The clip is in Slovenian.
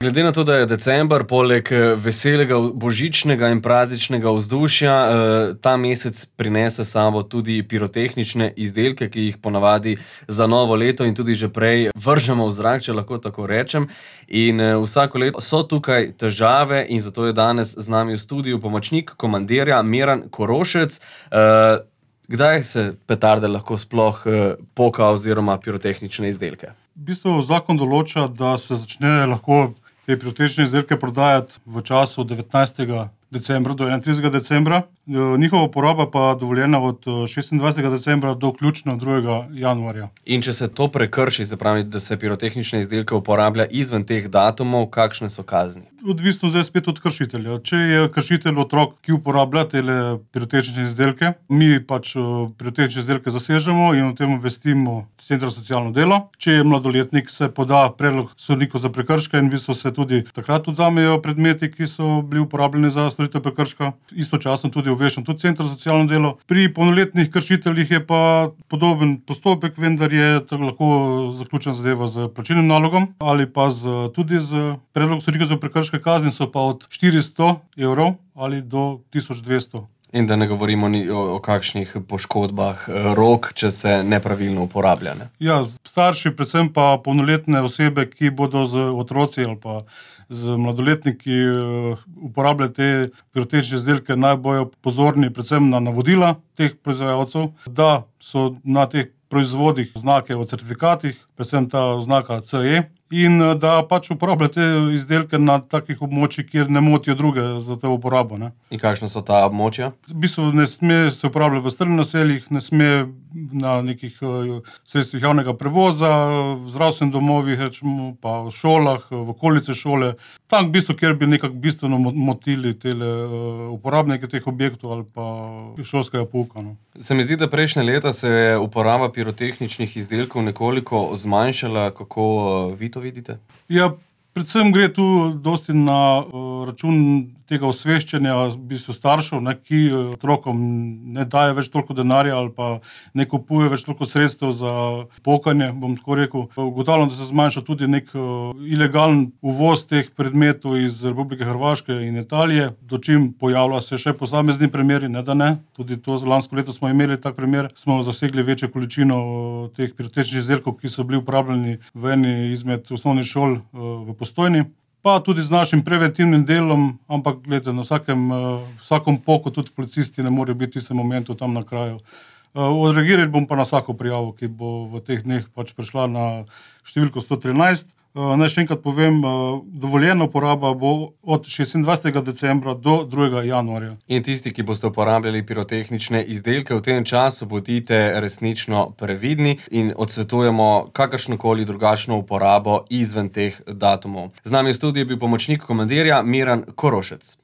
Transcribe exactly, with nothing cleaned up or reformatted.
Glede na to, da je december, poleg veselega božičnega in prazničnega vzdušja, ta mesec prinese s sabo tudi pirotehnične izdelke, ki jih ponavadi za novo leto in tudi že prej vržemo v zrak, če lahko tako rečem. In vsako leto so tukaj težave in zato je danes z nami v studiu pomočnik komandirja Miran Korošec. Kdaj se petarde lahko sploh poka oziroma pirotehnične izdelke? V bistvu zakon določa, da se začne lahko te pirotehnične izdelke prodajati v času devetnajstega decembra do enaintridesetega decembra. Njihova uporaba pa dovoljena od šestindvajsetega decembra do vključno drugega januarja. In če se to prekrši, se pravi, da se pirotehnične izdelke uporablja izven teh datumov, kakšne so kazni? Odvisno zdaj spet od kršitelja. Če je kršitelj otrok, ki uporablja tele pirotehnične izdelke, mi pač pirotehnične izdelke zasežemo in o tem obvestimo Center za socialno delo. Če je mladoletnik, se poda predlog sodniku za prekrške in v bistvu se tudi takrat odvzamejo predmeti, ki so bili uporabljeni za storitev prekrška. Istočasno tudi obveščam tudi Center za socialno delo. Pri polnoletnih kršiteljih je pa podoben postopek, vendar je tako lahko zaključena zadeva z plačilnim nalogom ali pa z, tudi z predlogom sodnika za prekrške. Kazni so pa od štiristo evrov ali do tisoč dvesto. In da ne govorimo ni o, o kakšnih poškodbah rok, če se nepravilno uporablja, ne? Ja, starši, predvsem pa polnoletne osebe, ki bodo z otroci ali pa z mladoletniki uporabljali te pirotehnične izdelke, naj bojo pozorni predvsem na navodila teh proizvajalcev, da so na teh proizvodih znake o certifikatih, predvsem ta oznaka C E, in da pač uporabljajo te izdelke na takih območjih, kjer ne motijo druge za to uporabo, ne. In kakšna so ta območja? V bistvu ne sme se uporabljati v strnjenih naseljih, ne sme na nekih sredstvih javnega prevoza, v zdravstvenih domovih, rečemo, pa v šolah, v okolici šole. Tam v bistvu, kjer bi nekako bistveno motili tele uporabnike teh objektov ali pa šolskega pouka, no. Se mi zdi, da prejšnje leta se je uporaba pirotehničnih izdelkov nekoliko zmanjšala. Kako vi to vidite? Ja, predvsem gre tu dosti na račun tega osveščanja v bistvu staršev, ne, ki otrokom ne daje več toliko denarja ali pa ne kupuje več toliko sredstev za pokanje, bom tako rekel. Ugotavljam, da se zmanjša tudi nek ilegalen uvoz teh predmetov iz Republike Hrvaške in Italije, do čim pojavlja se še posamezni primeri, ne da ne. Tudi to lansko leto smo imeli tak primer, smo zasegli večjo količino teh pirotehničnih izdelkov, ki so bili uporabljeni v eni izmed osnovnih šol v Postojni. Pa tudi z našim preventivnim delom, ampak gledajte, na vsakem, vsakem poku tudi policisti ne morejo biti v tistem momentu tam na kraju. Odreagirali bom pa na vsako prijavo, ki bo v teh dneh pač prišla na številko sto trinajst. Naj še enkrat povem, dovoljena uporaba bo od šestindvajsetega decembra do drugega januarja. In tisti, ki boste uporabljali pirotehnične izdelke v tem času, bodite resnično previdni in odsvetujemo kakršnokoli drugačno uporabo izven teh datumov. Z nami v studiu je bil pomočnik komandirja Miran Korošec.